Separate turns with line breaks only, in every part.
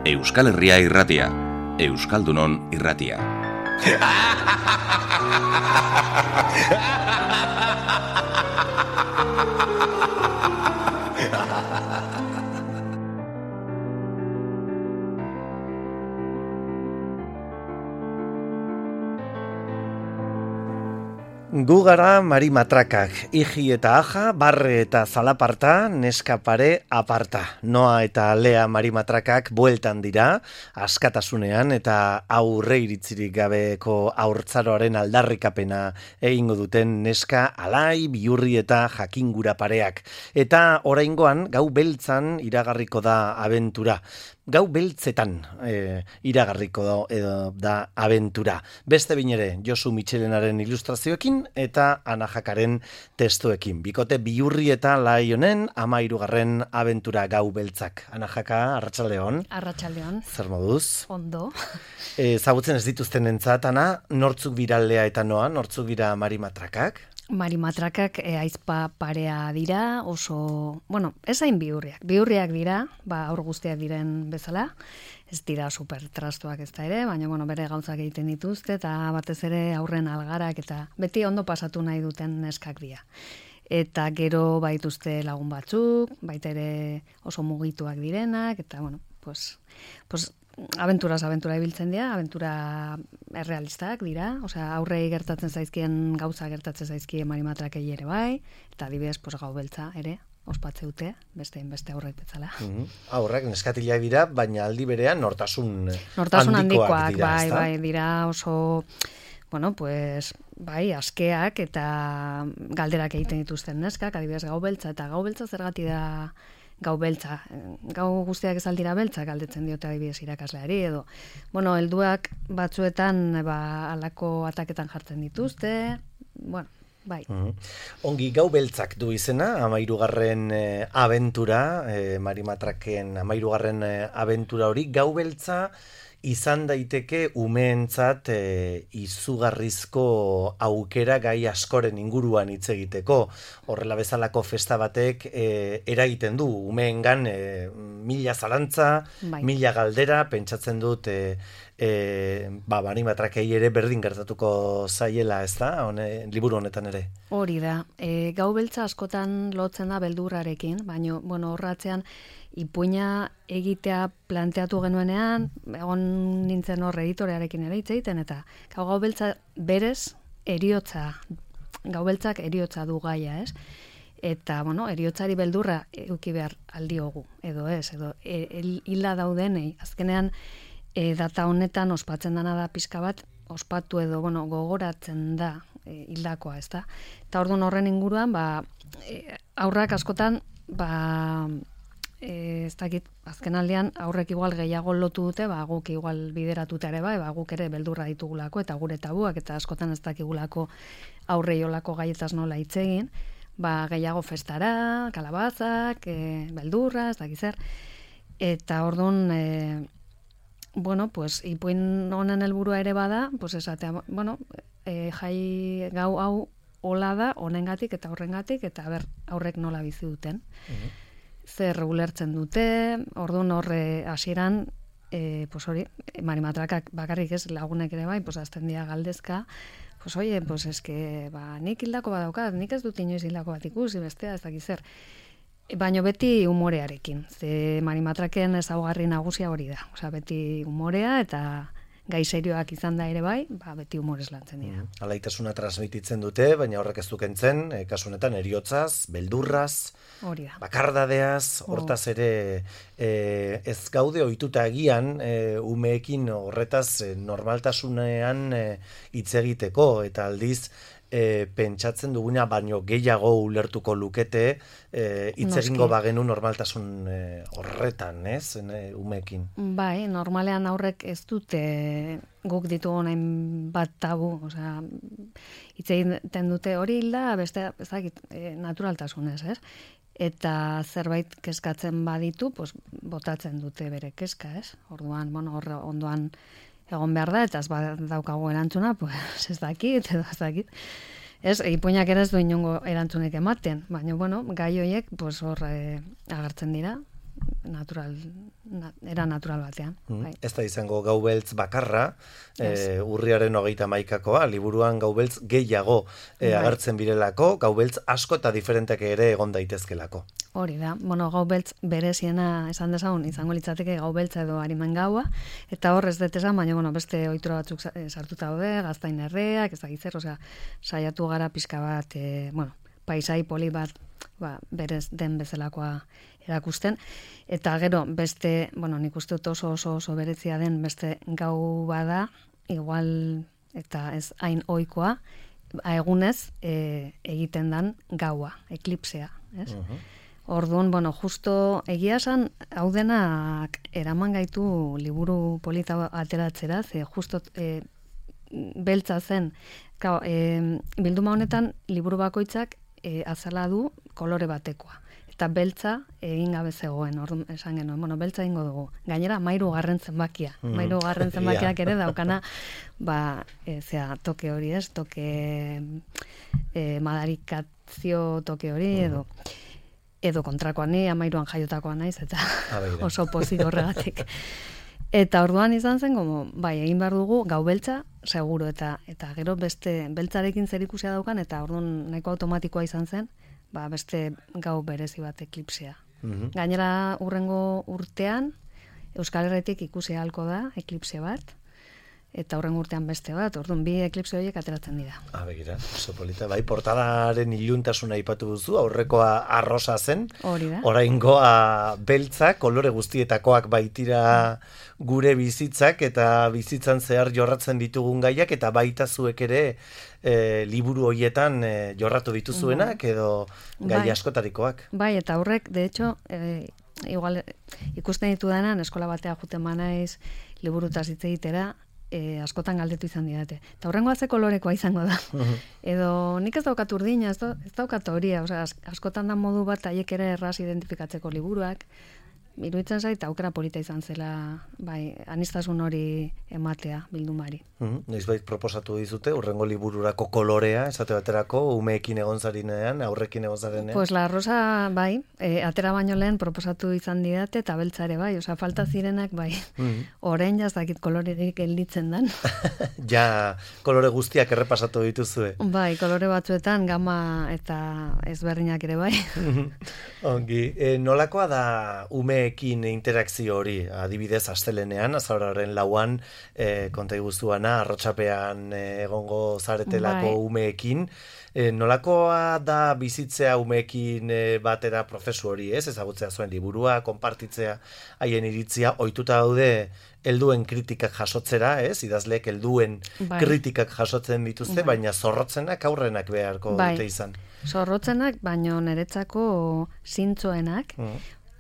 Euskal Herria irratia, Euskaldunon irratia.
Gu gara Mari Matrakak, Iji eta Aja, Barre eta Zalaparta, neska pare aparta. Noa eta Lea Mari Matrakak bueltan dira, askatasunean eta aurre iritzirik gabeko haurtzaroaren aldarrikapena egingo duten neska alai, bihurri eta jakingura pareak. Eta oraingoan gau beltzan iragarriko da abentura. Gau beltzetan iragarriko da abentura. Beste behin ere Josu Mitxelenaren ilustrazioekin eta Ana Jakaren testuekin. Bikote bihurri eta lai honen 13. abentura gau beltzak. Ana Jaka, arratsaldeon.
Arratsaldeon.
Zer moduz?
Ondo.
Ezagutzen ez dituzten entzat, Ana, nortzuk dira Lea eta Noa, nortzuk dira Mari Matrakak?
Mari Matrakak aizpa parea dira, oso, ez hain bihurriak dira, aur guztiak diren bezala, ez dira super trastuak ez da ere, baina bere gauzak egiten dituzte, eta batez ere aurren algarak, eta beti ondo pasatu nahi duten neskak dira. Eta gero baituzte lagun batzuk, baita ere oso mugituak direnak, eta aventura ibiltzen dira, aventura errealistak dira, aurrei gertatzen zaizkien gauza gertatzen zaizkien Mari Matrakei ere bai, eta adibidez gau beltza ere, ospatze dute, beste aurrek betzala.
Aurrak neskatilak dira, baina aldi berean nortasun
handikoak
dira,
bai, dira oso, askeak eta galderak egiten dituzten neskak, adibidez gau beltza, eta gau beltza zergatik da gau beltza. Gau guztiak ez aldira beltza, galdetzen diote adibidez irakasleari, edo. Helduak batzuetan alako ataketan jartzen dituzte, bai.
Ongi, gau beltzak du izena, 13. abentura, Mari Matraken 13. abentura hori, gau beltza izan daiteke umeentzat izugarrizko aukera gai askoren inguruan hitz egiteko. Horrela bezalako festa batek eragiten du umeengan mila zalantza, mila galdera, pentsatzen dut Mari Matrakei ere berdin gertatuko zaiela, ez da, liburu honetan ere.
Hori da, gau beltza askotan lotzen da beldurrarekin, baina horratzean ipuina egitea planteatu genuenean, egon nintzen hor editorearekin ere hitz egiten, eta gau beltza berez gau beltzak eriotza du gaia, ez? Eta, eriotzari beldurra eduki behar aldiogu, edo ez, edo hila daudenei, azkenean data honetan ospatzen dana da pixka bat, ospatu edo gogoratzen da hildakoa, ez da? Eta orduan horren inguruan, aurrak askotan, ez dakit, azken aldean aurrek igual gehiago lotu dute, guk igual bideratuta ere bai, guk ere beldurra ditugulako eta gure tabuak, eta askotan ez dakigulako aurrei olako gaietaz nola hitz egin, gehiago festara, kalabazak, beldurra, ez dakit zer, eta orduan, ipuin honen helburua ere bada, esatea, jai gau hau hola da, honengatik eta horrengatik, eta aurrek nola bizi duten. Zer ulertzen dute, orduan horre hasieran, hori, Mari Matrakak bakarrik ez lagunek ere bai, azten dira galdezka, eske, nik hildako bat daukat, nik ez dut inoiz hildako bat ikusi, bestea ez dakiz zer. Baina beti humorearekin, ze Mari Matraken ezaugarri nagusia hori da, beti humorea eta gai serioak izan da ere bai, beti humorez lantzen dira.
Alaitasuna transmititzen dute, baina horrek ez du kentzen, kasu honetan eriotzaz, beldurraz, bakardadeaz, hortaz ere ez gaude ohituta agian umeekin horretaz normaltasunean hitz egiteko, eta aldiz pentsatzen duguna baino gehiago ulertuko lukete hitz egingo bagenu normaltasun horretan, ez, umeekin.
Bai, normalean aurrek ez dute guk ditugu nahin bat tabu, hitz egiten dute hori hilda, beste, ez dakit, naturaltasunez, ez? Eta zerbait kezkatzen baditu, botatzen dute bere kezka, ez? Orduan, ondoan egon behar da, eta ez daukagu erantzuna, ez dakit, edo ez dakit. Ez, ipuinak ere ez du inongo erantzunek ematen, baina, gai horiek, hor agertzen dira, era natural batean. Bai.
Ez da izango gau beltz bakarra, urriaren 31koa, liburuan gau beltz gehiago agertzen birelako, gau beltz asko eta diferentek ere egon daitezkelako.
Hori da, gau beltz bereziena esan dezagun, izango litzateke gau beltza edo arimen gaua, eta hor ez dut esan, baina beste ohitura batzuk sartuta daude, gaztain erreak, ez da gitzer, saiatu gara pixka bat, paisai poli bat, berez den bezalakoa erakusten, eta gero beste, nik uste dut oso berezia den beste gau bada, igual eta ez hain ohikoa, egunez egiten dan gaua, eklipsea, ez? Orduan, justo egia esan, hau denak eraman gaitu liburu polita ateratzera, ze justo beltza zen, bilduma honetan liburu bakoitzak azala du kolore batekoa. Eta beltza egin gabe zegoen, orduan esan genuen, beltza egingo dugu. Gainera, 13. zenbakia. 13. zenbakiak ere daukana, toke hori ez, toke madarikazio toke hori edo kontrakoan ni 13an jaiotakoa naiz, eta oso pozik horregatik. Eta orduan izan zen, egin behar dugu gau beltza, seguro, eta gero beste beltzarekin zerikusia daukan, eta orduan nahiko automatikoa izan zen, beste gau berezi bat eklipsea. Gainera urrengo urtean, Euskal Herritik ikusi ahalko da eklipse bat, eta horren urtean beste bat, orduan bi eklipse horiek ateratzen dira.
Begira, oso polita, portadaren iluntasuna aipatu duzu, aurrekoa arrosa zen, oraingoa beltza, kolore guztietakoak baitira gure bizitzak, eta bizitzan zehar jorratzen ditugun gaiak, eta baita zuek ere liburu horietan jorratu dituzuenak, edo gai askotarikoak.
Eta horrek, de hecho, igual ikusten ditudanan, eskola batea juten manaiz, liburutaz hitz egitera, askotan galdetu izan didate. Eta horrengoa ze kolorekoa izango da. Edo nik ez daukat urdina, ez daukat horia, askotan da modu bat haiek ere erraz identifikatzeko liburuak. Iruditzen zait aukera polita izan zela, aniztasun hori ematea bildumari.
Noizbait proposatu dizute, urrengo libururako kolorea, esate baterako, umeekin egon zarinean, aurrekin egon zarenean?
Pues la rosa, atera baino lehen proposatu izan didate, eta beltza ere, falta zirenak, orain jazakit kolorerik gelditzen dan.
Ja, kolore guztiak errepasatu dituzue.
Kolore batzuetan, gama eta ezberdinak ere,
Ongi, nolakoa da umeekin interakzio hori, adibidez astelenean, azaroaren 4an, konta iguzuana, arrotxapean egongo zaretelako umeekin, nolakoa da bizitzea umeekin batera prozesu hori, ez? Ezagutzea zuen liburua, konpartitzea haien iritzia, ohituta daude helduen kritikak jasotzera, ez? Idazleek helduen kritikak jasotzen dituzte, baina zorrotzenak aurrenak beharko dute izan.
Zorrotzenak, baina niretzako zintzoenak,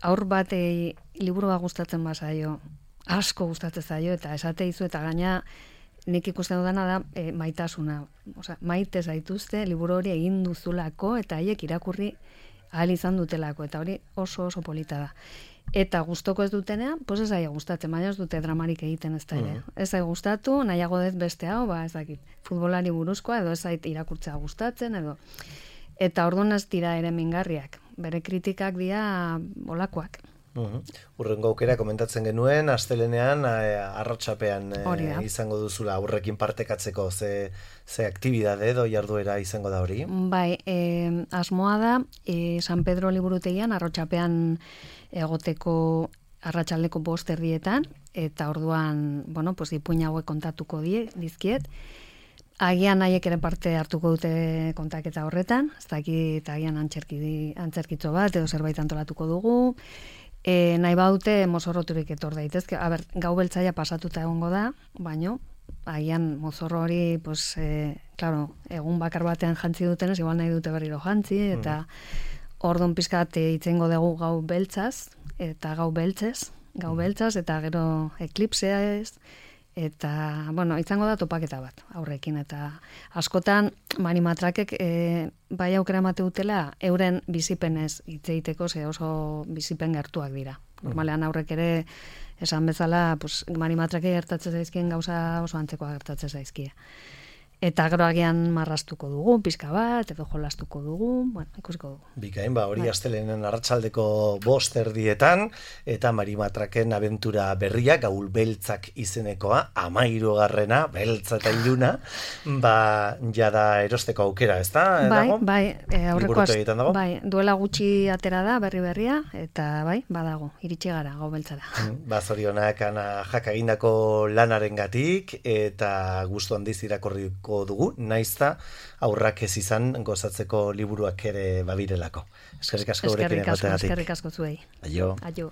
aur batei liburua gustatzen bazaio, asko gustatzen zaio, eta esate izu, eta gaina nik ikusten dudana da maitasuna. Maite zaituzte, liburu hori egin duzulako, eta haiek irakurri ahal izan dutelako, eta hori oso polita da. Eta gustoko ez dutenean, ez zaia gustatzen, baina ez dute dramarik egiten ez da ere. Ez zai gustatu, nahiago dut beste hau, ez dakit, futbolari buruzkoa, edo ez zait irakurtzea gustatzen, edo. Eta orduan ez dira ere mingarriak. Bere kritikak dira olakoak.
Urrengo aukera komentatzen genuen, astelenean arrotxapean izango duzula aurrekin partekatzeko ze aktibidade edo jarduera izango da hori?
Asmoa da, San Pedro liburutegian arrotxapean egoteko arratsaldeko 5:00 eta orduan, ipuin hauek kontatuko dizkiet. Agian nahiek ere parte hartuko dute kontaketa horretan, ez dakit agian antzerkitzo bat edo zerbait antolatuko dugu. Nahi baute mozorroturik etor daitezke. Gau beltzaia pasatuta egongo da, baino, agian mozorro hori, egun bakar batean jantzi dutenez, igual nahi dute berriro jantzi, eta orduan pizkat itzengo dugu gau beltzaz, eta gau beltzez, eta gero eklipsea ez, eta, izango da topaketa bat aurrekin, eta askotan Marimatrakek bai aukera emate dutela euren bizipenez hitz egiteko, ze oso bizipen gertuak dira. Normalean aurrek ere esan bezala, Marimatrake gertatzen zaizkien gauza oso antzekoa gertatzen zaizkie. Eta gero agian marrastuko dugu, pizka bat, edo jolastuko dugu, bueno, ikusiko dugu.
Bikain, hori astelenen arratsaldeko 5:00 eta Mari Matraken abentura berria, Gaul Beltzak izenekoa, 13. beltza eta iluna, jada erosteko aukera, ezta?
Bai, aurrekoaz, bai, duela gutxi atera da, berria, eta bai, badago, iritsi gara, Gaul Beltzara.
Zorionak Ana Jak egindako lanarengatik, eta gustu handiz irakurriko dugu, naizta aurrak ez izan gozatzeko liburuak ere babirelako. Eskerrik asko gurekin egoteagatik.
Eskerrik asko zuei.
Aio.
Aio.